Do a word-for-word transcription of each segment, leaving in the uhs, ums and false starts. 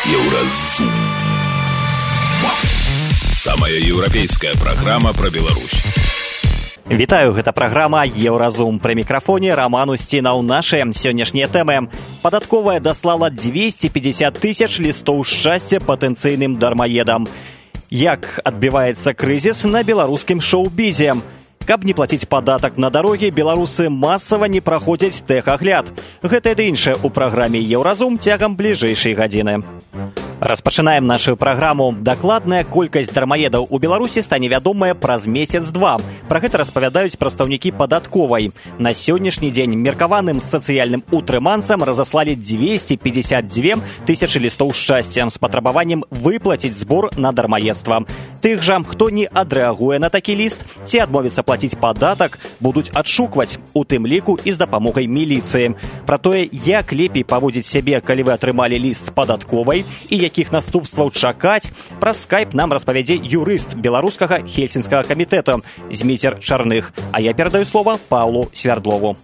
Еўразум. Самая еўрапейская праграма пра Беларусь. Вітаю, гэта праграма «Еўразум». Пры мікрафоне Роман Устінаў. Нашы сённяшнія тэмы. Падатковая даслала двести пятьдесят тысяч лістоў шчасця патэнцыйным дармаедам. Як адбіваецца крызіс на беларускім шоу-бізе? Каб не плаціць падатак на дарогі, беларусы масава не праходзяць тэхагляд. Гэта і іншае ў праграме «Еўразум» цягам бліжэйшай гадзіны. Распачынаем нашу праграму. Дакладная колькасць дармаедаў у Беларусі стане вядомая праз месяц-два. Пра гэта распавядаюць прадстаўнікі падатковай. На сённяшні дзень меркаваным сацыяльным утрыманцам разаслалі двести пятьдесят две тысячи лістоў шчасця з патрабаваннем выплаціць збор на дармаедства. Тых жа, хто не адрэагуе на такі ліст ці адмовіцца плаціць падатак, будуць адшукваць, у тым ліку і з дапамогай міліцыі. Пра тое, як лепей паводзіць сябе, калі вы атрымалі ліст з падатковай і якіх наступстваў чакаць, праз скайп нам распавядзе юрыст беларускага хельсінскага камітэту Зміцер Чарных. А я перадаю слова Паўлу Свярдлову.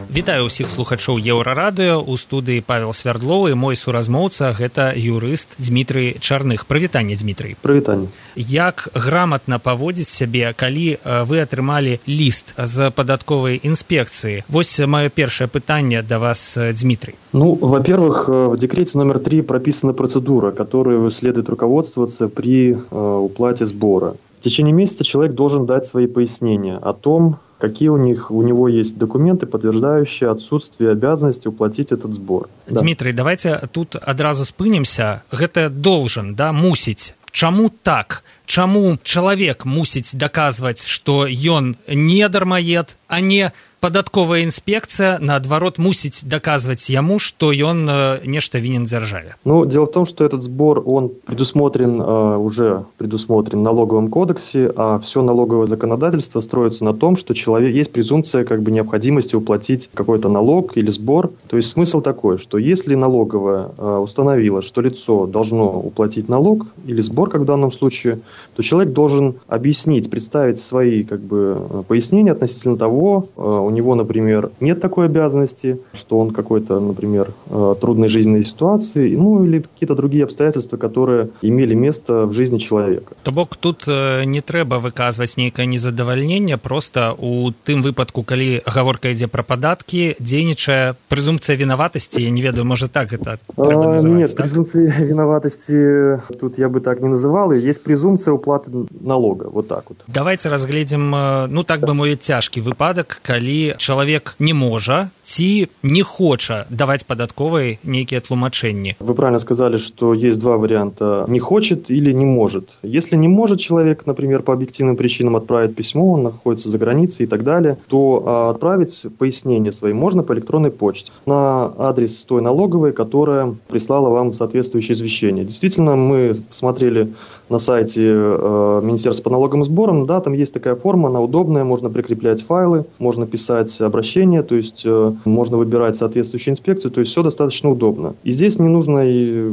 Вітаю ўсіх слухачоў Еўрарадыё. У студыі Павел Свярдловы, мой суразмоўца, гэта юрыст Дзмітрый Чарных. Прывітанне, Дзмітрый. Прывітанне. Як граматна паводзіць сябе, калі вы атрымалі ліст з падатковай інспекцыі? Вось маё першае пытанне да вас, Дзмітрый. Ну, во-первых, в декрете номер три прописана процедура, которой следует руководствоваться при э, уплате сбора. В течение месяца человек должен дать свои пояснения о том, какие у них у него есть документы, подтверждающие отсутствие обязанности уплатить этот сбор. Дмитрий, да. Давайте тут адразу спынемся. Гэта должен, да, мусіць. Чаму так? Чаму чалавек мусіць даказваць, што ён не дармаед, а не падатковая інспекцыя, наадварот, мусіць даказваць яму, што ён нешта вінен дзяржаве? Ну, дело в том, что этот сбор, он предусмотрен, уже предусмотрен в налоговом кодексе, а все налоговое законодательство строится на том, что человек, есть презумпция как бы необходимости уплатить какой-то налог или сбор. То есть смысл такой, что если налоговая установила, что лицо должно уплатить налог или сбор, как в данном случае, то человек должен объяснить, представить свои как бы пояснения относительно того, у него, например, нет такой обязанности, что он какой-то, например, трудной жизненной ситуации, ну или какие-то другие обстоятельства, которые имели место в жизни человека. То бок тут не трэба выказваць нейкае незадавальненне, просто у тым выпадку, калі гаворка ідзе пра падаткі, дзейнічае прэзумпцыя вінаватасці, я не ведаю, можа так это трэба называць? Нет, так? презумпции виноватости тут я бы так не называл, есть презумпция уплаты налога, вот так вот. Давайте разгледзім, ну так бы мовіць, цяжкі выпадак, калі чалавек не можа ці не хоча даваць падатковай нейкія тлумачэнні. Вы правильно сказали, что есть два варианта: не хочет или не может. Если не может человек, например, по объективным причинам отправить письмо, он находится за границей и так далее, то а, отправить пояснения свои можно по электронной почте на адрес той налоговой, которая прислала вам соответствующее извещение. Действительно, мы посмотрели на сайте э, Министерства по налогам и сборам, да, там есть такая форма, она удобная, можно прикреплять файлы, можно писать обращения, то есть э, можно выбирать соответствующую инспекцию, то есть все достаточно удобно. И здесь не нужно и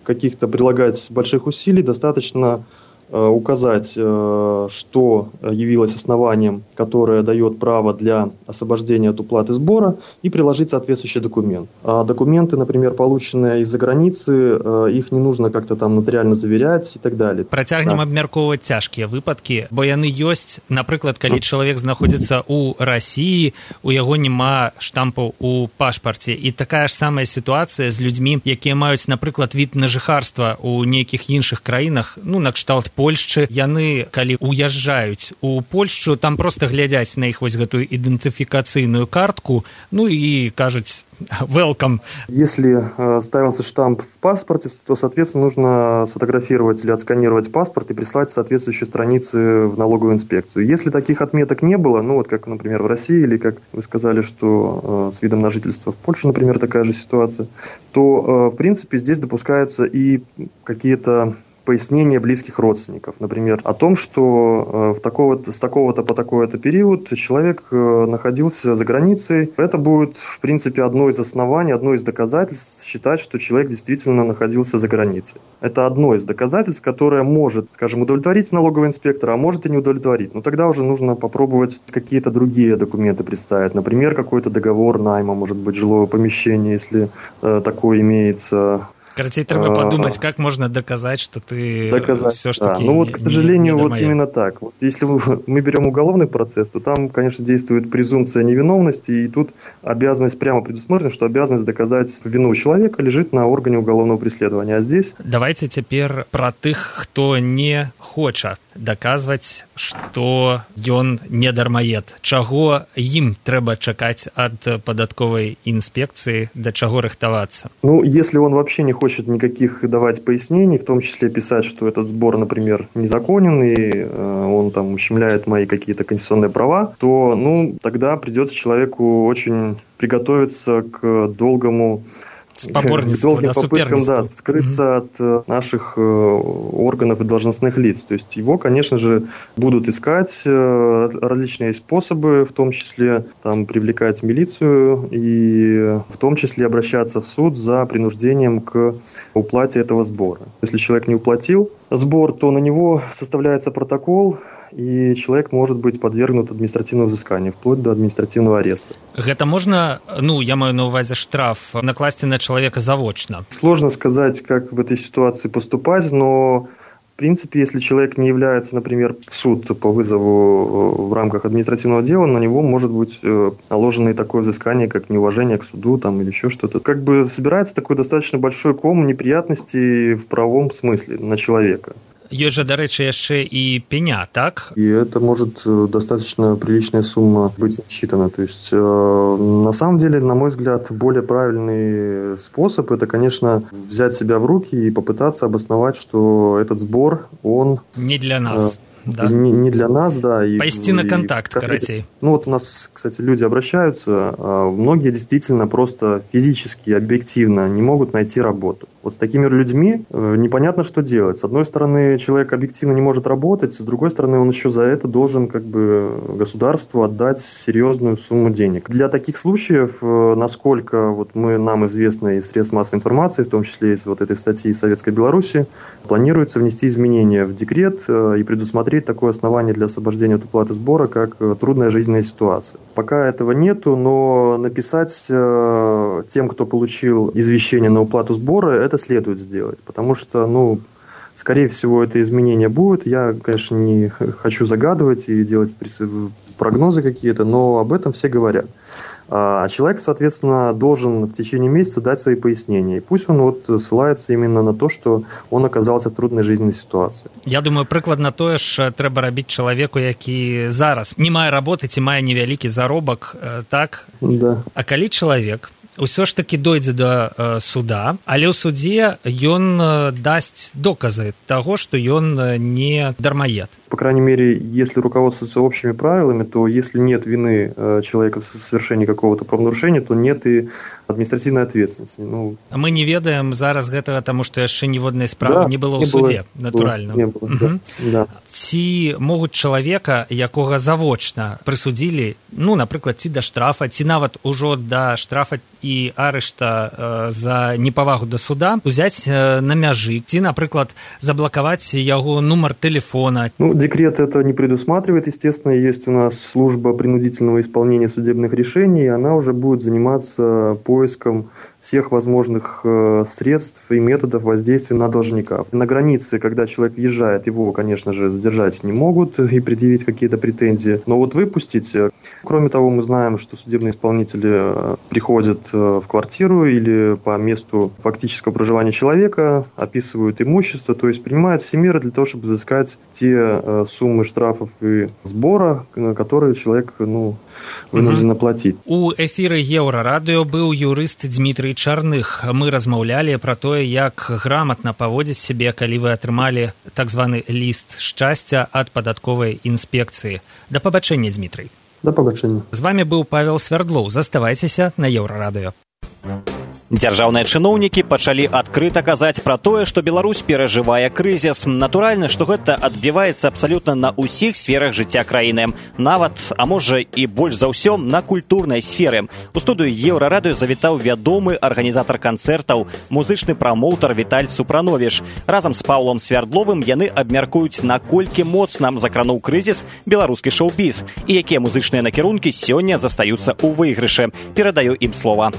каких-то прилагать больших усилий, достаточно э, указать, э, что явилось основанием, которое дает право для освобождения от уплаты сбора, и приложить соответствующий документ. А документы, например, полученные из-за границы, э, их не нужно как-то там нотариально заверять и так далее. Працягнем да. абмяркоўваць цяжкія выпадкі, бо яны ёсць, напрыклад, калі чалавек знаходзіцца ў Расіі, у яго няма штампу ў пашпарце. І такая ж самая сітуацыя з людзьмі, якія маюць, напрыклад, від на жыхарства ў нейкіх іншых краінах, ну, накшталт Польшчы. Яны, калі уязджаюць у Польшчу, там проста глядзяць на іх вось гэтую ідэнтыфікацыйную картку, ну і кажуць welcome. Если э, ставился штамп в паспорте, то, соответственно, нужно сфотографировать или отсканировать паспорт и прислать соответствующие страницы в налоговую инспекцию. Если таких отметок не было, ну вот как, например, в России, или как вы сказали, что э, с видом на жительство в Польше, например, такая же ситуация, то, э, в принципе, здесь допускаются и какие-то пояснения близких родственников. Например, о том, что в такого-то, с такого-то по такой-то период человек находился за границей. Это будет, в принципе, одно из оснований, одно из доказательств считать, что человек действительно находился за границей. Это одно из доказательств, которое может, скажем, удовлетворить налогового инспектора, а может и не удовлетворить. Но тогда уже нужно попробовать какие-то другие документы представить. Например, какой-то договор найма, может быть, жилого помещения, если э, такое имеется. Короче, треба подумать, как можно доказать, что ты доказать, все-таки да. Ну вот, к сожалению, не, не вот именно так. Вот если мы берем уголовный процесс, то там, конечно, действует презумпция невиновности, и тут обязанность прямо предусмотрена, что обязанность доказать вину человека лежит на органе уголовного преследования. А здесь... Давайте теперь про тех, кто не хоча даказваць, што ён не дармаед. Чаго ім трэба чакаць ад падатковай інспекцыі, да чаго рыхтавацца? Ну, если он вообще не хочет никаких давать пояснений, в том числе писать, что этот сбор, например, незаконен, и э, он там ущемляет мои какие-то конституционные права, то, ну, тогда придется человеку очень приготовиться к долгому... К долгим попыткам, да, скрыться mm-hmm. от наших э, органов и должностных лиц. То есть его, конечно же, будут искать, э, различные способы, в том числе там, привлекать милицию и в том числе обращаться в суд за принуждением к уплате этого сбора. Если человек не уплатил сбор, то на него составляется протокол, и человек может быть подвергнут административному взысканию, вплоть до административного ареста. Это можно, ну, я маю на увазе штраф, накласти на человека заочно? Сложно сказать, как в этой ситуации поступать, но в принципе, если человек не является, например, в суд по вызову в рамках административного дела, на него может быть наложено и такое взыскание, как неуважение к суду там, или еще что-то. Как бы собирается такой достаточно большой ком неприятностей в правовом смысле на человека. Ёсць жа, дарэчы, яшчэ і пеня, так? И это может достаточно приличная сумма быть отсчитана. То есть, э, на самом деле, на мой взгляд, более правильный способ – это, конечно, взять себя в руки и попытаться обосновать, что этот сбор, он… Не для нас. Э, Да. Не, не для нас, да. И, Пойти на контакт, короче. Ну вот у нас, кстати, люди обращаются, а многие действительно просто физически, объективно не могут найти работу. Вот с такими людьми непонятно, что делать. С одной стороны, человек объективно не может работать, с другой стороны, он еще за это должен как бы государству отдать серьезную сумму денег. Для таких случаев, насколько вот мы, нам известно из средств массовой информации, в том числе из вот этой статьи Советской Беларуси, планируется внести изменения в декрет и предусмотреть такое основание для освобождения от уплаты сбора, как трудная жизненная ситуация. Пока этого нету, но написать э, тем, кто получил извещение на уплату сбора, это следует сделать, потому что, ну, скорее всего, это изменение будет. Я, конечно, не хочу загадывать и делать прогнозы какие-то, но об этом все говорят. А человек, соответственно, должен в течение месяца дать свои пояснения. И пусть он вот ссылается именно на то, что он оказался в трудной жизненной ситуации. Я думаю, прыкладна тое ж трэба рабіць чалавеку, які зараз не мае работы ці мае невялікі заробак, так? Да. А калі чалавек ўсё ж таки дойдзе да э, суда, але ў судзе ён э, дасць доказы таго, што ён э, не дармаед. По крайней мере, если руководствоваться общими правилами, то если нет вины э, человека в совершении какого-то правонарушения, то нет и административной ответственности. Ну, мы не ведаем зараз гэтага, таму што яшчэ ніводнай справы да, не было не ў судзе, было, натуральна. Не было, угу. да, да. Ці могуць чалавека, якога завочна прысудзілі, ну, напрыклад, ці да штрафа, ці нават ужо да штрафа і арышта э, за непавагу да суда, узяць э, на мяжы, ці, напрыклад, заблакаваць яго нумар тэлефона. Ну, декрет это не предусматривает, естественно, есть у нас служба принудительного исполнения судебных решений, и она уже будет заниматься поиском всех возможных э, средств и методов воздействия на должника. На границе, когда человек въезжает, его, конечно же, задержать не могут и предъявить какие-то претензии, но вот выпустить. Кроме того, мы знаем, что судебные исполнители приходят в квартиру или по месту фактического проживания человека, описывают имущество, то есть принимают все меры для того, чтобы взыскать те суммы штрафов и сбора, которые человек, ну, вынуждены платить. У эфіры Еўрарадыё быў юрыст Дмітрый Чарных. Мы размаўлялі пра тое, як грамотна паводзіць сябе, калі вы атрымалі так званы ліст шчасця ад падатковай інспекцыі. Да пабачэння, Дмітрый. Да пабачэння. З вами быў Павел Свярдлоў. Заставайцеся на Еўрарадыё. Дзяржаўныя чыноўнікі пачалі адкрыта казаць пра тое, што Беларусь перажывае крызіс. Натуральна, што гэта адбіваецца абсалютна на ўсіх сферах жыцця краіны. Нават, а можа і больш за ўсё, на культурнай сферы. У студыю Еўрарадыё завітаў вядомы арганізатар канцэртаў, музычны прамоўтар Віталь Супрановіч. Разам з Паўлом Свярдловым яны абмяркуюць, наколькі моцна закрануў крызіс беларускі шоу-біз і якія музычныя накірункі сёння застаюцца ў выйгрышы. Перадаю ім слова.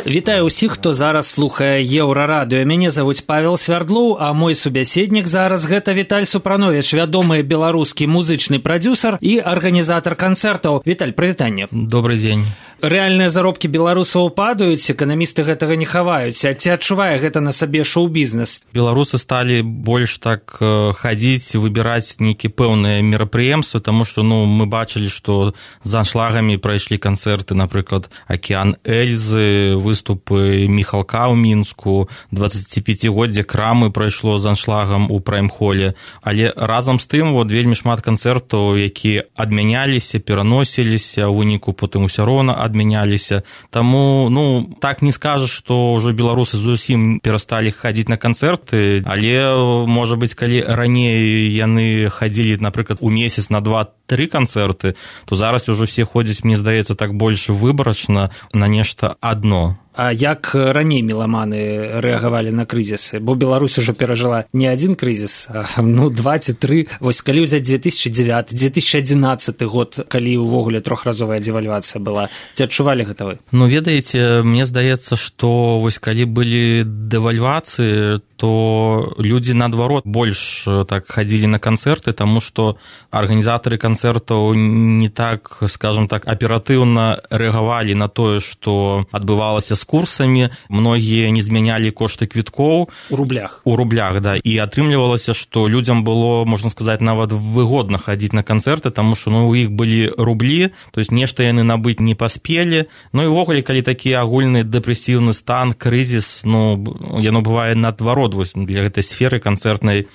Вітаю ўсіх, хто зараз слухае Еўрарадыё. Мяне завуць Павел Свярдлоў, а мой субяседнік зараз гэта Віталь Супранович, вядомы беларускі музычны прадзюсар і арганізатар канцэртаў. Віталь, прывітанне. Добрый дзень. Рэальныя заробкі беларусаў падаюць, эканамісты гэтага не хаваюць. А ці адчувае гэта на сабе шоу-бізнес? Беларусы сталі больш так хадзіць, выбіраць нейкія пэўныя мерапрыемствы, таму што ну, мы бачылі, што з аншлагамі прайшлі канцэрты, напрыклад, «Акеан Эльзы», выступы Міхалка ў Мінску, дваццаціпяцігоддзе Крамы прайшло з аншлагам у прайм-холе. Але разам з тым вот, вельмі шмат канцэртаў, якія адмяняліся, пераносіліся, у выніку потым усё роўна адмяняліся. Таму, ну, так не скажаш, што ўжо беларусы зусім перасталі хадзіць на канцэрты, але, можа быць, калі раней яны хадзілі, напрыклад, у месяц на два-тры канцэрты, то зараз ужо все ходзяць, мне здаецца, так больш выбарачна на нешта адно. А як раней меламаны рэагавалі на крызісы? Бо Беларусь ужо перажыла не адзін крызіс, а ну, два ці тры. Вось калі ўзяць две тысячы дзевяты две тысячы адзінаццаты год, калі ўвогуле трохразовая дэвальвацыя была, ці адчувалі гэта вы? Ну, ведаеце, мне здаецца, што вось калі былі дэвальвацыі, то людзі, наадварот, больш так хадзілі на канцэрты, таму што арганізатары канцэртаў не так, скажам так, аператыўна рэагавалі на тое, што адбывалася з курсамі, многія не змянялі кошты квіткоў. У рублях. У рублях, да. І атрымлівалася, што людзям было, можна сказаць, нават выгодна хадзіць на канцэрты, таму што ну, у іх былі рублі, то есть нешта яны набыць не паспелі. Ну і ўвогуле, калі такі агульны дэпрэсіўны стан, крызіс, ну, яно бывае наадварот, вось для гэтай сферы канцэртнай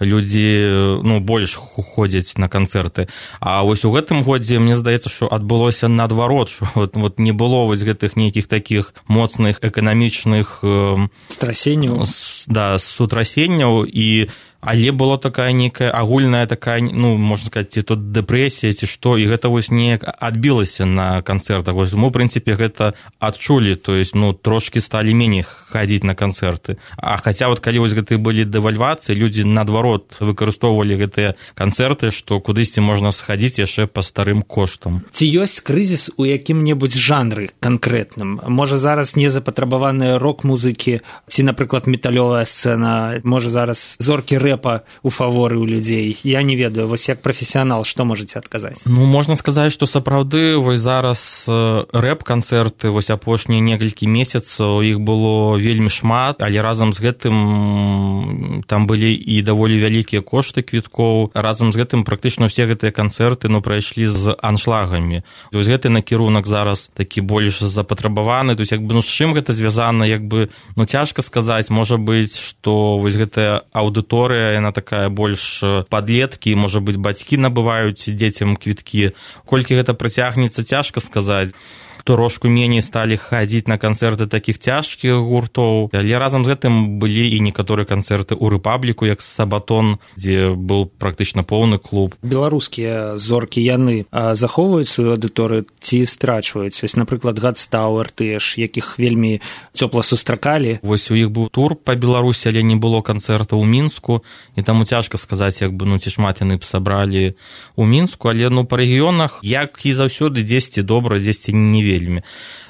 людзі ну, больш ходзяць на канцэрты. А вось у гэтым годзе, мне здаецца, што адбылося наадварот, што вот, вот не было вось гэтых нейкіх такіх моцных эканамічных э, страсенняў, да, сутрасенняў, і але была такая нейкая агульная такая, ну, можна сказаць, ці то дэпрэсія, ці што, і гэта вось неяк адбілася на канцэртах. Вось мы, ў прынцыпе, гэта адчулі, то есть, ну, трошкі сталі меней хадзіць на канцэрты. А хаця вот калі вось гэтыя былі дэвальвацыі, людзі, наадварот, выкарыстоўвалі гэтыя канцэрты, што кудысьці можна схадзіць яшчэ па старым коштам. Ці ёсць крызіс у якім-небудзь жанры канкрэтным? Можа, зараз не запатрабаваныя рок-музыкі, ці, напрыклад, металёвая сцэна, можа, зараз зоркі рэп у фаворы ў людзей. Я не ведаю, вось як прафесіянал, што можаце адказаць? Ну, можна сказаць, што сапраўды вось зараз рэп-канцэрты, вось апошнія некалькі месяцаў, іх было вельмі шмат, але разам з гэтым там былі і даволі вялікія кошты квіткоў. Разам з гэтым практычна ўсе гэтыя канцэрты ну, прайшлі з аншлагамі. Вось гэты накірунак зараз такі больш запатрабаваны. То есть, як бы, ну, з чым гэта звязана, як бы, ну, цяжка сказаць. Можа быць, што вось гэтая аўдыторыя яна такая больш падлеткі, можа быць, бацькі набываюць дзецям квіткі. Колькі гэта працягнецца, цяжка сказаць. Трошку меней сталі хадзіць на канцэрты такіх цяжкіх гуртоў. Але разам з гэтым былі і некаторыя канцэрты ў Рэпабліку, як Сабатон, дзе быў практычна поўны клуб. Беларускія зоркі, яны захоўваюць сваю аўдыторыю ці страчваюць? Вось, напрыклад, Гадстауэр, тыя ж, якіх вельмі цёпла сустракалі. Вось у іх быў тур па Беларусі, але не было канцэрта ў Мінску, і таму цяжка сказаць, як бы, ну, ці шмат яны б сабралі ў Мінску, але, ну, па рэгіёнах, як і заўсёды, дзесьці добра, дзесьці не вельмі.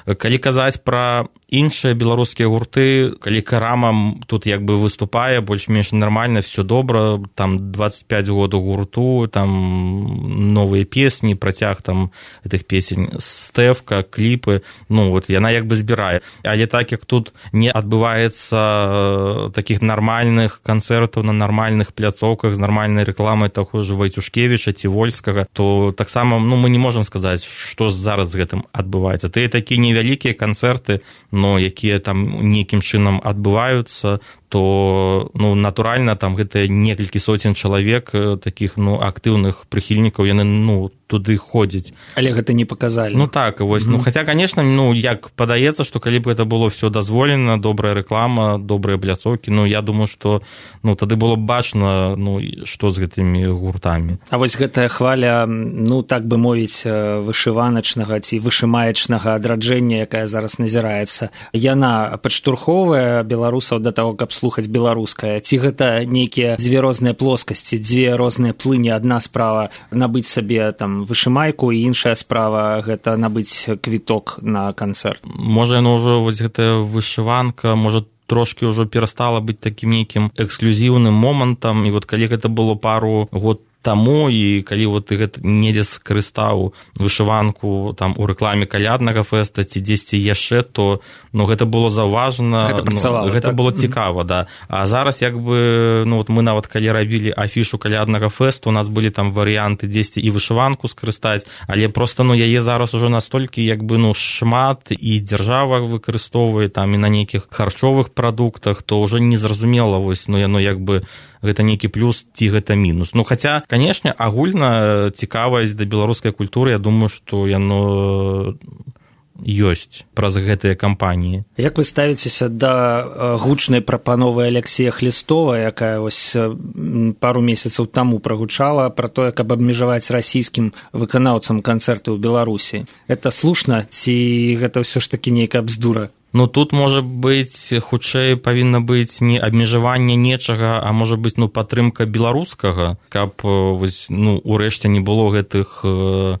Калі казаць пра іншыя беларускія гурты, калі Карама тут як бы выступае, больш-менш нармальна, все добра, там двадцать пять годаў гурту, там новыя песні, працяг там гэтых песень, стэвка, кліпы, ну вот яна як бы збірае. Але так як тут не адбываецца такіх нармальных канцэртаў на нармальных пляцоўках з нармальнай рэкламай таго ж Вайцюшкевіча ці Вольскага, то таксама ну, мы не можам сказаць, што зараз з гэтым адбываецца. Тыя такія невялікія канцэрты, но якія там нейкім чынам адбываюцца, то ну, натуральна там гэта некалькі соцень чалавек такіх ну, актыўных прыхільнікаў, яны ну, туды ходзяць. Але гэта не паказалі. Ну так, вось, mm-hmm. ну, хаця, конечно, ну, як падаецца, што калі б гэта было все дазволена, добрая рэклама, добрыя пляцоўкі, ну, я думаю, што ну, тады было б бачна, ну, што з гэтымі гуртамі. А вось гэтая хваля, ну, так бы мовіць, вышываначнага ці вышымаечнага адраджэння, якая зараз назіраецца, яна падштурхоўвае беларусаў да таго, каб паслухаць беларускае, ці гэта нейкія дзве розныя плоскасці, дзве розныя плыні, адна справа набыць сабе там вышымайку, і іншая справа гэта набыць квіток на канцэрт. Можа, яно ўжо вось гэтая вышыванка, можа, трошки ўжо перастала быць такім нейкім эксклюзіўным момантам, і вот калі гэта было пару год таму, і калі вот ты гэта недзе скарыстаў вышыванку там у рэкламе каляднага фэста ці дзесьці яшчэ, то ну, гэта было заўважна, гэта працавала, ну, гэта так? было цікава, да. А зараз як бы, ну вот мы нават калі рабілі афішу каляднага фэсту, у нас былі там варыянты дзесьці і вышыванку скарыстаць, але просто ну яе зараз ужо настолькі як бы ну шмат, і дзяржава выкарыстоўвае там і на нейкіх харчовых прадуктах, то ўжо незразумела вось, ну яно як бы гэта нейкі плюс ці гэта мінус. Ну, хаця, канешне, агульна цікавасць да беларускай культуры, я думаю, што яно ёсць праз гэтыя кампаніі. Як вы ставіцеся да гучнай прапановы Алексея Хлістова, якая вось пару месяцаў таму прагучала пра тое, каб абмежаваць расійскім выканаўцам канцэрты ў Беларусі? Гэта слушна ці гэта ўсё ж такі нейкая бздура? Ну, тут, можа быць, хутчэй павінна быць не абмежаванне нечага, а можа быць, ну, падтрымка беларускага, каб, вось, ну, урэшце не было гэтых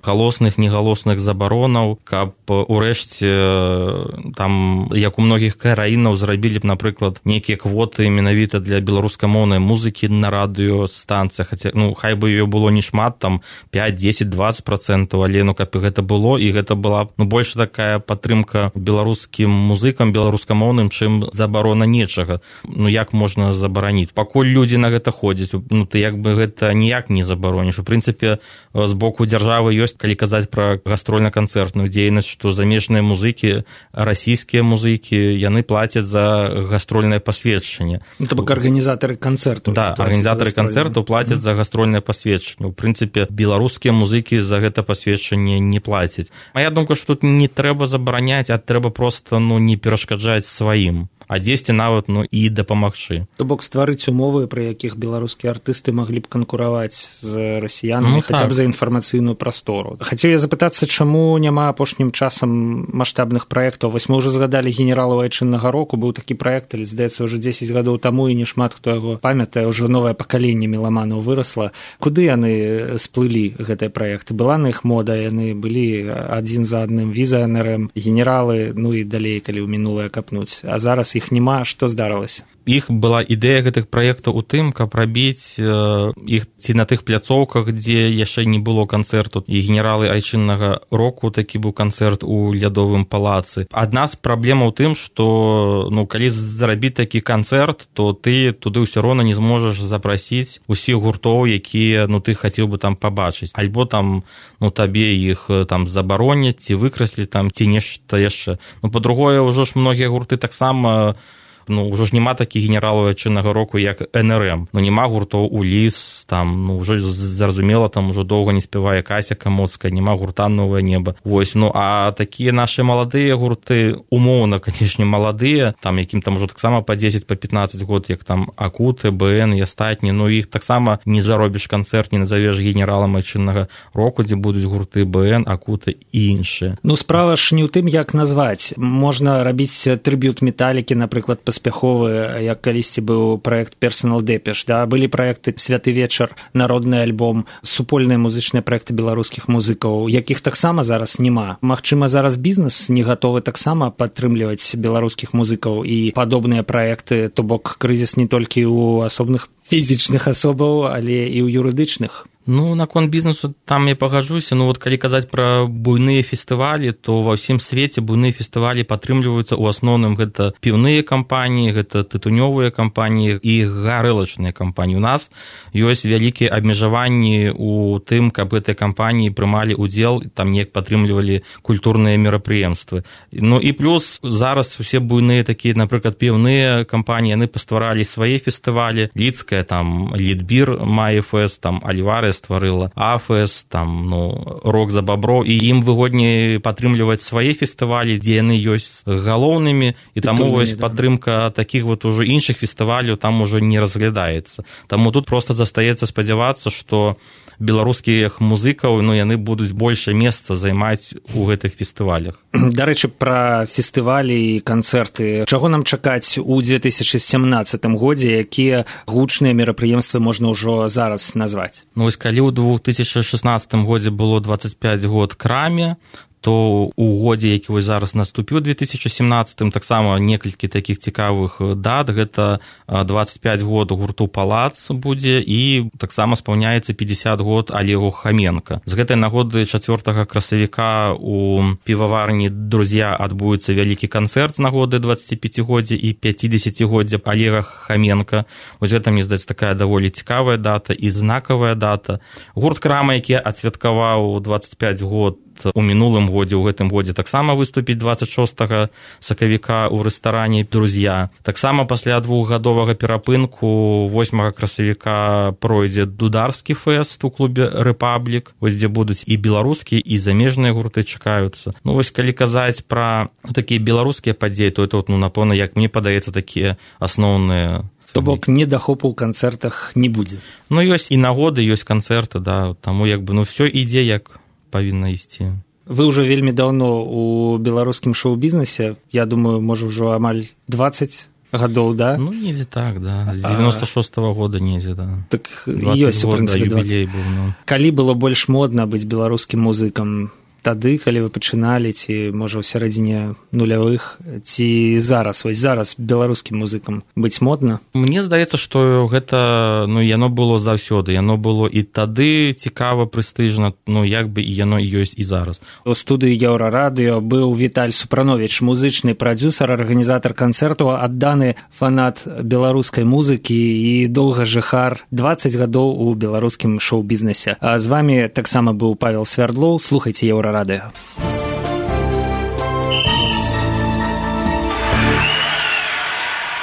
галосных, негалосных забаронаў, каб урэшце, там, як у многіх краінаў зрабілі б, напрыклад, нейкія квоты менавіта для беларускамоўнай музыкі на радыёстанцыях, хаця, ну, хай бы её было не шмат, там, пяць, дзесяць, дваццаць працэнтаў, але, ну, каб гэта было, і гэта была, ну, больш такая падтрымка беларускім музыкам, музыкам беларускамоўным, чым забарона нечага. Ну, як можна забараніць? Пакуль людзі на гэта ходзяць, ну, ты як бы гэта ніяк не забароніш. У прынцыпе, з боку дзяржавы ёсць, калі казаць пра гастрольна-канцэртную дзейнасць, што замежныя музыкі, расійскія музыкі, яны плацяць за гастрольнае пасведчанне. Ну, то бок арганізатары канцэрту. Да, арганізатары канцэрту плацяць за гастрольнае пасведчанне. У прынцыпе, беларускія музыкі за гэта пасведчанне не плацяць. Мая думка, што тут не трэба забараняць, а трэба проста, ну, не перашкаджаць сваім, а дзесьці нават, ну, і дапамагчы. То бок стварыць умовы, пры якіх беларускія артысты маглі б канкураваць з расіянамі, ну, хаця б за інфармацыйную прастору. Хацеў я запытацца, чаму няма апошнім часам маштабных праектаў? Вось мы ўжо згадалі генералу айчыннага року, быў такі праект, але, здаецца, ўжо дзесяць гадоў таму, і не шмат хто яго памятае, ўжо новае пакаленне меламанаў вырасла. Куды яны сплылі, гэтыя праекты? Была на іх мода, яны былі адзін за адным візіянерам, генералы, ну і далей, калі ў мінулае капнуць. А зараз іх няма, што здарылася? Іх была ідэя гэтых праектаў у тым, каб рабіць іх ці на тых пляцоўках, дзе яшчэ не было канцэрту. І генералы айчыннага року такі быў канцэрт у лядовым палацы. Адна з праблемаў у тым, што ну, калі зрабіць такі канцэрт, то ты туды ўсё роўна не зможаш запрасіць усіх гуртоў, якія ну, ты хацеў бы там пабачыць. Альбо там ну, табе іх там забароняць, ці выкраслі там, ці нешта яшчэ. Ну, па-другое, ўжо ж многія гурты таксама ну, ўжо ж няма такіх генералаў айчыннага року, як эн эр эм. Ну, няма гуртоў Уліс, там, ну, ўжо зразумела, там ўжо доўга не спявае Кася Камоцкая, няма гурта Новае неба. Вось, ну, а такія нашы маладыя гурты, умоўна, канешне, маладыя, там, якім там ужо таксама па дзесяць, па пятнаццаць год, як там Акуты, бэ эн і астатні, ну, іх таксама не заробіш канцэрт, не назавеш генералам айчыннага року, дзе будуць гурты бэ эн, Акуты і іншыя. Ну, справа ж не ў тым, як назваць. Можна рабіць трыб'ют Металікі, напрыклад, паспяховы, як калісьці быў праект Personal Depeche, да, былі праекты Святы вечар, народны альбом, супольныя музычныя праекты беларускіх музыкаў, якіх таксама зараз няма. Магчыма, зараз бізнес не гатовы таксама падтрымліваць беларускіх музыкаў і падобныя праекты, то бок крызіс не толькі ў асобных фізічных асобаў, але і ў юрыдычных. Ну, наконт бізнесу там я пагаджуся. Ну, вот калі казаць пра буйныя фестывалі, то ва ўсім свеце буйныя фестывалі падтрымліваюцца ў асноўным гэта піўныя кампаніі, гэта тытунёвыя кампаніі і гарэлачныя кампаніі. У нас ёсць вялікія абмежаванні ў тым, каб гэтыя кампаніі прымалі ўдзел, там неяк падтрымлівалі культурныя мерапрыемствы. Ну і плюс зараз усе буйныя такія, напрыклад, піўныя кампаніі, яны пастваралі свае фестывалі. Лідская, там, Лідбір мае фэст, там, Альварес стварыла АФЭС, там, ну, Рок за бабро, і ім выгодней падтрымліваць свае фестывалі, дзе яны ёсць галоўнымі, і таму вось падтрымка такіх вот ужо іншых фестываляў там ужо не разглядаецца. Таму тут проста застаецца спадзявацца, што беларускіх музыкаў, ну, яны будуць больше месца займаць у гэтых фестывалях. Дарэчы, пра фестывалі і канцэрты. Чаго нам чакаць у две тысячы сямнаццатым годзе, якія гучныя мерапрыемствы можна ўжо зараз назваць? Ну, вось калі ў две тысячы шаснаццатым годзе было дваццаць пяць год краме, то у годзе, які вось зараз наступіў две тысячы сямнаццатым, таксама некалькі такіх цікавых дат. Гэта дваццаць пяць год гурту «Палац» будзе, і таксама спаўняецца пятьдесят год Олегу Хоменко. З гэтай нагоды чацвёртага красавіка у піваварні «Друзья» адбудзецца вялікі канцэрт з нагоды дваццаціпяцігоддзя і пяцідзесяцігоддзя Олега Хоменко. Вось гэта, мне здаецца, такая даволі цікавая дата і знакавая дата. Гурт «Крама», які адсвяткаваў дваццаць пяць год у мінулым годзе, у гэтым годзе таксама выступіць дваццаць шостага сакавіка ў рэстаране «Друзья». Таксама пасля двухгадовага перапынку восьмага красавіка пройдзе дударскі фэст у клубе «Рэпаблік», вось дзе будуць і беларускія, і замежныя гурты чакаюцца. Ну вось калі казаць пра такія беларускія падзеі, то это, ну, напэўна, як мне падаецца, такія асноўныя. То бок недахопу ў канцэртах не будзе. Ну ёсць і нагоды, ёсць канцэрты, да, таму як бы, ну, все ідзе як павінна ісці. Вы ўжо вельмі даўно у беларускім шоу-бізнесе, я думаю, можа ўжо амаль дваццаць гадоў, да? Ну, недзе так, да. З девяносто шостого года недзе, да. Так ёсць, у прынцыпе, дваццаць. Быў, ну. Калі было больш модна быць беларускім музыкам? Тады, калі вы пачыналі, ці, можа, у сярэдзіне нулявых, ці зараз, вось зараз беларускім музыкам быць модна? Мне здаецца, што гэта, ну, яно было заўсёды, яно было і тады цікава, прэстыжна, ну, як бы і яно ёсць і зараз. У студыі Еўрарадыё быў Віталь Супрановіч, музычны прадзюсар, арганізатар канцэрту, адданы фанат беларускай музыкі і доўга жыхар дваццаць гадоў у беларускім шоу-бізнесе. А з вамі таксама быў Павел Свярдлоў. Слухайце Еўрарадыё. Радио.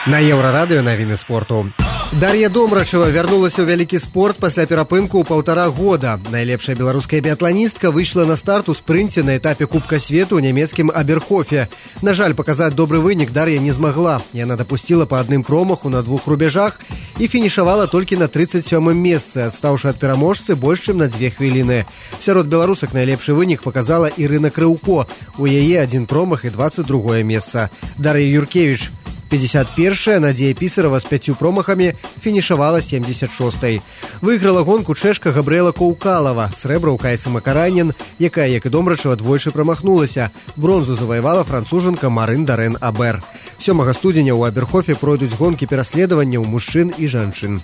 На Еўрарадыё навіны спорту. Дар'я Домрачева вярнулася ў вялікі спорт пасля перапынку ў паўтара года. Найлепшая беларуская біятланістка выйшла на старт у спрынце на этапе Кубка свету ў нямецкім Аберхофе. На жаль, паказаць добры вынік Дар'я не змагла. Яна дапусціла па адным промаху на двух рубежах і фінішавала толькі на тридцать сёмым месцы, адстаўшы ад пераможцы больш чым на дзве хвіліны. Сярод беларусак найлепшы вынік паказала Ірына Крыўко. У яе адзін промах і двадцать другое месца. Дар'я Юркевіч пятьдесят первая, Надзея Пісарава з пяццю промахамі фінішавала семьдесят шостой. Выйграла гонку чэшка Габрыэла Коўкалава, срэбра ў Кайсы Макаранен, якая, як і Домрачева, двойчы прамахнулася. Бронзу заваявала францужанка Марын Дарэн Абер. сёмага студзеня ў Аберхофе пройдуць гонкі пераследавання ў мужчын і жанчын.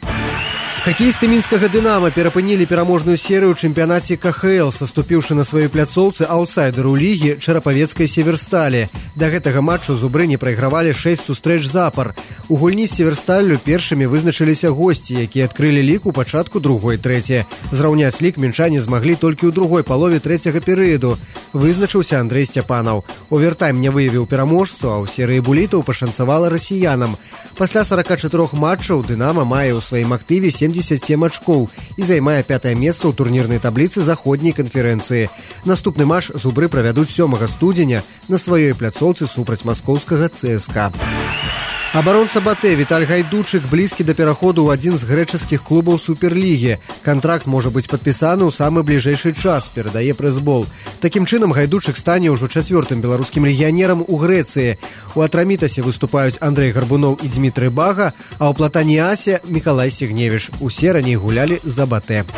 Хакеісты мінскага «Дынама» перапынілі пераможную серыю ў чэмпіянаце ка ха эл, саступіўшы на сваёй пляцоўцы аўтсайдеру лігі чарапавецкай «Северсталі». Да гэтага матчу зубры не прайгравалі шэсць сустрэч запар. У гульні з «Северсталлю» першымі вызначыліся госці, якія адкрылі лік у пачатку другой трэці. Зраўняць лік мінчане змаглі толькі ў другой палове трэцяга перыяду. Вызначыўся Андрэй Сцяпанаў. Овертайм не выявіў пераможцу, а ў серыі булітаў пашанцавала расіянам. Пасля сорока чатырох матчаў «Дынама» мае ў сваім актыве семьдесят семь ачкоў і займае пятае месца ў турнірнай табліцы заходняй канферэнцыі. Наступны матч зубры правядуць сёмага студзеня на сваёй пляцоўцы супраць маскоўскага цэ эс ка. Абаронца Батэ Віталь Гайдучык блізкі да пераходу ў адзін з грэчаскіх клубаў суперлігі. Кантракт можа быць падпісаны ў самы бліжэйшы час, перадае прэсбол. Такім чынам Гайдучык стане ўжо чацвёртым беларускім легіянерам у Грэцыі. У Атрамітасе выступаюць Андрэй Гарбунов і Дмітрый Бага, а ў Платаніасе Мікалай Сігневіч. Усе раней гулялі за Батэ.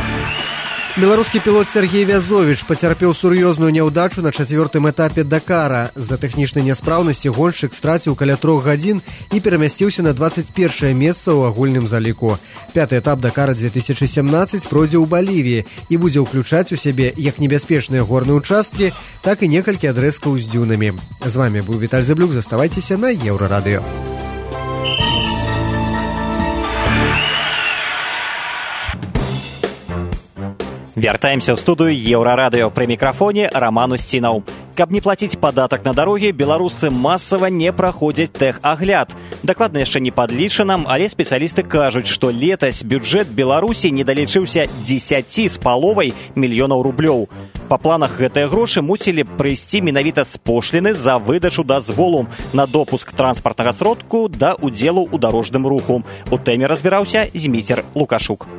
Беларускі пілот Сергей Вязовіч пацярпеў сур'ёзную няўдачу на чацвёртым этапе Дакара. З-за тэхнічнай няспраўнасці гоншчык страціў каля трох гадзін і перамясціўся на двадцать першае месца ў агульным заліку. Пяты этап Дакара две тысячи семнадцать пройдзе ў Балівіі і будзе ўключаць у сябе як небяспечныя горныя участкі, так і некалькі адрэзкаў з дзюнамі. З вами быў Віталь Зэблюк, заставайцеся на Еўрарадыё. Вяртаемся ў студыю Еўрарадыё. Пры мікрафоне Раман Усцінаў. Каб не плаціць падатак на дарогі, беларусы масава не праходзяць тэхагляд. Дакладна яшчэ не падлічана, але спецыялісты кажуць, што летась бюджэт Беларусі не далічыўся дзесяць з паловай мільёнаў рублёў. Па планах гэтыя грошы мусілі прыйсці менавіта з пошліны за выдачу дазволу на допуск транспартнага сродку да удзелу ў дарожным руху. У тэме разбіраўся Зміцер Лукашук.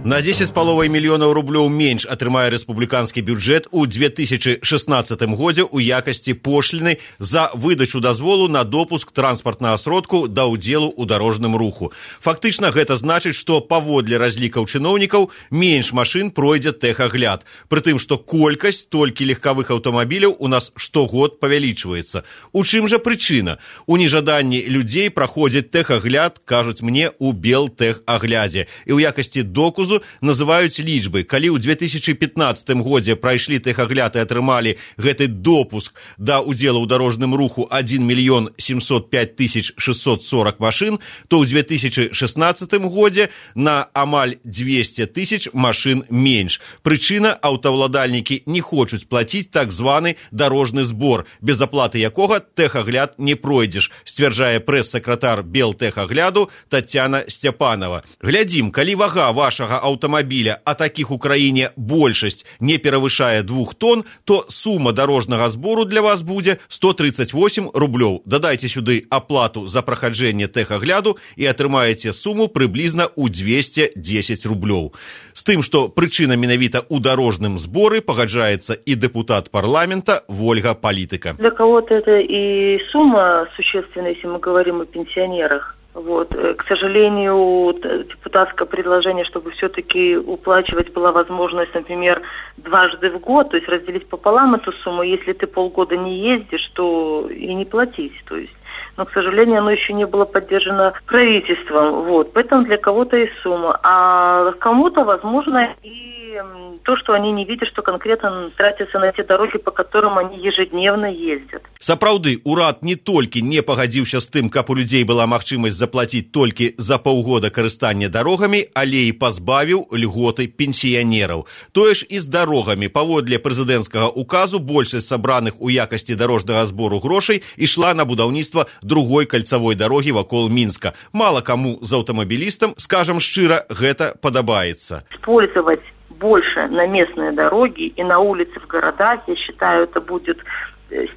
На дзесяць з паловай мільёнаў рублёў менш атрымае рэспубліканскі бюджэт у две тысячы шаснаццатым годзе ў якасці пошліны за выдачу дазволу на допуск транспартнага сродку да ўдзелу ў дарожным руху. Фактычна гэта значыць, што паводле разлікаў чыноўнікаў менш машын пройдзе тэхагляд, пры тым, што колькасць толькі легкавых аўтамабіляў у нас штогод павялічваецца. У чым жа прычына? У нежаданні людзей праходзіць тэхагляд, кажуць мне, у белтэхаглядзе. І ў якасці доказу называюць лічбы. Калі ў две тысячы пятнаццатым годзе прайшлі тэхагляд і атрымалі гэты допуск да ўдзелу ў дарожным руху адзін мільён сямьсот пяць тысяч шестьсот сорок машын, то ў две тысячы шаснаццатым годзе на амаль дзвесце тысяч машын менш. Прычына, аўтаўладальнікі не хочуць плаціць так званы дарожны збор, без аплаты якога тэхагляд не пройдзеш, сцвярджае прэс-сакратар белтэхагляду Тацяна Сцяпанова. Глядзім, калі вага вашага аўтамабіля, а такіх у краіне большасць, не перавышае двух тонн, то сума дарожнага збору для вас будзе сто тридцать восемь рублёў. Дадайце сюды аплату за прахаджэнне тэхагляду і атрымаеце суму прыблізна ў двести десять рублёў. З тым, што прычына менавіта ў дарожным зборы, пагаджаецца і депутат парламента Вольга Политика. Для кого-то это и сумма существенная, если мы говорим о пенсионерах. Вот. К сожалению, депутатское предложение, чтобы все-таки уплачивать была возможность, например, дважды в год, то есть разделить пополам эту сумму. Если ты полгода не ездишь, то и не платить. То есть. Но, к сожалению, оно еще не было поддержано правительством. Вот. Поэтому для кого-то и сумма. А кому-то, возможно, и то, что они не видят, что конкретно тратятся на те дороги, по которым они ежедневно ездят. Сапраўды, урад не толькі не пагадзіўся з тым, каб у людзей была магчымасць заплаціць толькі за паўгода карыстання дарогамі, але і пазбавіў льготы пенсіянераў. Тое ж і з дарогамі. Паводле прэзідэнцкага указу большасць сабраных у якасці дарожнага збору грошай ішла на будаўніцтва другой кальцавой дарогі вакол Мінска. Мала каму з аўтамабілістам, скажам шчыра, гэта падабаецца. Использовать больше на местные дороги и на улицы в городах, я считаю, это будет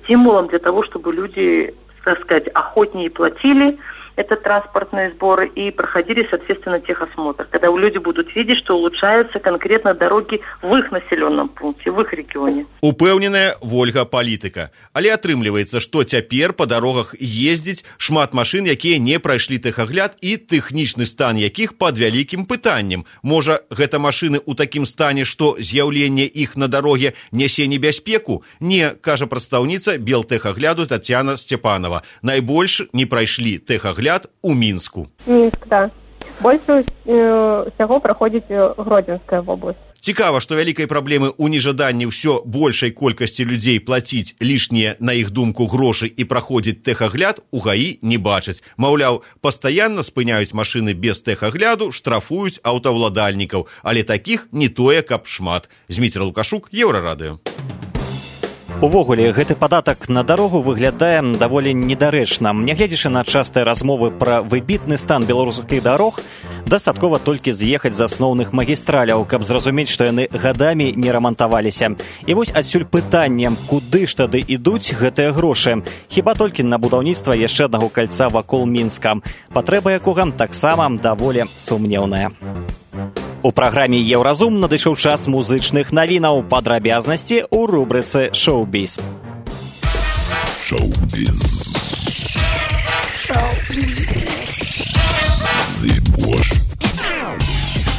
стимулом для того, чтобы люди, так сказать, охотнее платили это транспортные сборы и проходили, соответственно, техосмотр. Когда люди будут видеть, что улучшаются конкретно дороги в их населенном пункте, в их регионе. Упэўненая Вольга Политика. Але атрымліваецца, што цяпер па дарогах ездзіць шмат машын, якія не прайшлі тэхагляд і тэхнічны стан якіх пад вялікім пытаннем. Можа, гэта машыны ў такім стане, што з'яўленне іх на дароге нясе небяспеку? Не, кажа прадстаўніца белтэхагляду Тацяна Сцяпанова. Найбольш не прайшлі тэхагляд у Мінску. Мінск, да. Больше всего проходит Гродзенская область. Цікава, што вялікай праблемы ў нежаданні ўсё большай колькасці людзей плаціць лішнія, на іх думку, грошы і праходзіць тэхагляд у ГАІ не бачаць. Маўляў, пастаянна спыняюць машыны без тэхагляду, штрафуюць аўтаўладальнікаў, але такіх не тое, каб шмат. Зміцер Лукашук, Еўрарадыё. Увогуле, гэты падатак на дарогу выглядае даволі недарэчна. Нягледзячы на частыя размовы пра выбітны стан беларускіх дарог, дастаткова толькі з'ехаць з асноўных магістраляў, каб зразумець, што яны гадамі не рамантаваліся. І вось адсюль пытанне, куды ж тады ідуць гэтыя грошы? Хіба толькі на будаўніцтва яшчэ аднаго кальца вакол Мінска, патрэба якога таксама даволі сумнеўная. У праграме «Еўразум» надышоў час музычных навінаў, падрабязнасці ў рубрыцы «Шоу-біз». Шоу-біз.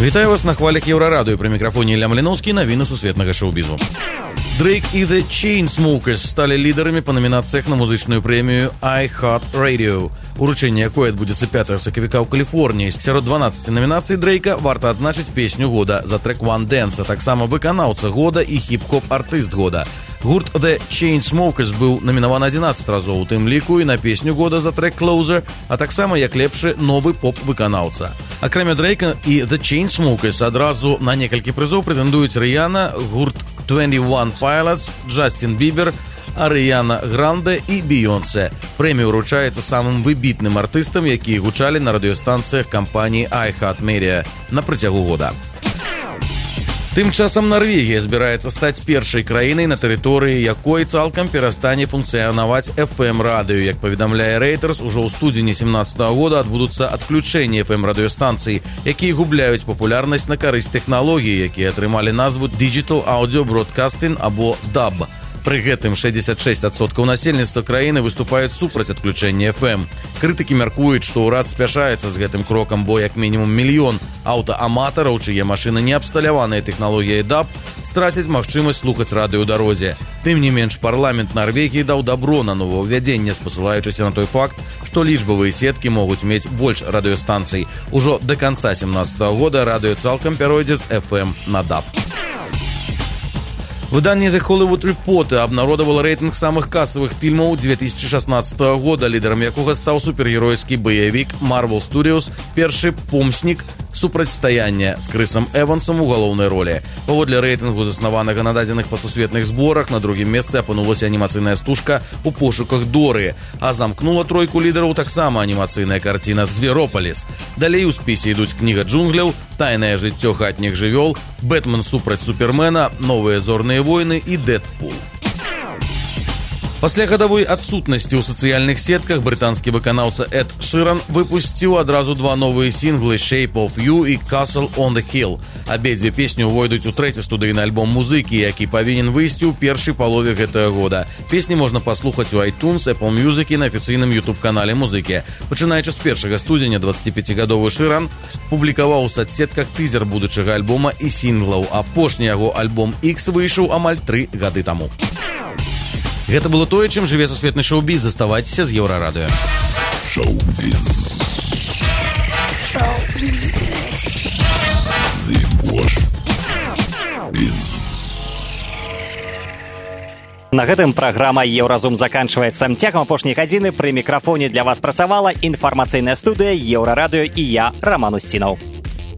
Вітаю вас на хвалях Еўрарадыё. Пры мікрафоне Ілля Маліноўскі, навіны сусветнага шоу-бізу. Дрейк і The Chainsmokers сталі лідарамі па номінацыях на музычную прэмію iHeartRadio, уручэнне якой адбудзецца пятага сакавіка ў Каліфорніі. Сярод дванаццаці номінацый Дрейка варта адзначыць песню года за трэк One Dance, а таксама выканаўца года і хіп-хоп артыст года. Гурт The Chainsmokers быў намінаваны адзінаццаць разоў, у тым ліку і на песню года за трэк Closer, а таксама як лепшы новы поп-выканаўца. Акрамя Дрейка і The Chainsmokers адразу на некалькі прызоў прэтэндуюць Рыяна, гурт twenty one Pilots, Джастин Бібер, Арыяна Гранде і Бейонсе. Прэмія ўручаецца самым выбітным артыстам, якія гучалі на радыёстанцыях кампаніі iHeartMedia на працягу года. Тым часам Нарвегія збіраецца стаць першай краінай, на тэрыторыі якой цалкам перастане функцыянаваць эф эм-радыё. Як паведамляе Reuters, ужо ў студзені семнадцатага года адбудуцца адключэнні эф эм-радыёстанцый, якія губляюць папулярнасць на карысць тэхналогій, якія атрымалі назву Digital Audio Broadcasting або даб. Пры гэтым шэсцьдзесят шэсць адсоткаў насельніцтва краіны выступаюць супраць адключэння эф эм. Крытыкі мяркуюць, што ўрад спяшаецца з гэтым крокам, бо як мінімум мільён аўтааматараў, чые машыны не абсталяваныя тэхналогіяй даб, страцяць магчымасць слухаць радыё ў дарозе. Тым не менш, парламент Нарвегіі даў дабро на новаўвядзенне, спасылаючыся на той факт, што лічбавыя сеткі могуць мець больш радыёстанцый. Ужо да канца семнадцатага года радыё цалкам пяройдзе з эф эм на даб. Выданне The Hollywood Reporter абнародавала рэйтынг самых касавых фільмаў две тысячи шаснаццатага года, лідарам якога стаў супергеройскі баявік Marvel Studios «Першы помснік. Супрацьстаянне» з Крысам Эвансам у галоўнай ролі. Паводле рэйтынгу, заснаванага на дадзеных па сусветных зборах, на другім месцы апынулася анімацыйная стужка «У пошуках Доры», а замкнула тройку лідараў таксама анімацыйная карціна «Зверопаліс». Далей у спісе ідуць «Кніга джунгляў», «Тайнае жыццё хатніх жывёл», «Бэтмен супраць Супермена», «Новыя зорныя войны» і «Дэдпул». Пасля гадавой адсутнасці ў сацыяльных сетках брытанскі выканаўца Эд Шыран выпусціў адразу два новыя сінглы «Shape of You» і «Castle on the Hill». Абедзве песні ўвойдуць у трэці студыйны альбом музыкі, які павінен выйсці ў першай палове гэтага года. Песні можна паслухаць у iTunes, Apple Music і на афіцыйным YouTube-канале музыкі. Пачынаючы з першага студзеня, дваццаціпяцігадовы Шыран публікаваў у сацсетках тызер будучага альбома і сінглаў. Апошні яго альбом X выйшаў амаль тры гады таму. Гэта было тое, чым жыве сусветны шоу-біз. Заставайцеся з Еўрарадыё. Шоу-біз. Шоу-біз. На гэтым праграма «Еўразум» заканчваецца. Цягам апошняй гадзіны пры мікрафоне для вас працавала інфармацыйная студыя «Еўрарадыё» і я, Раман Усцінаў.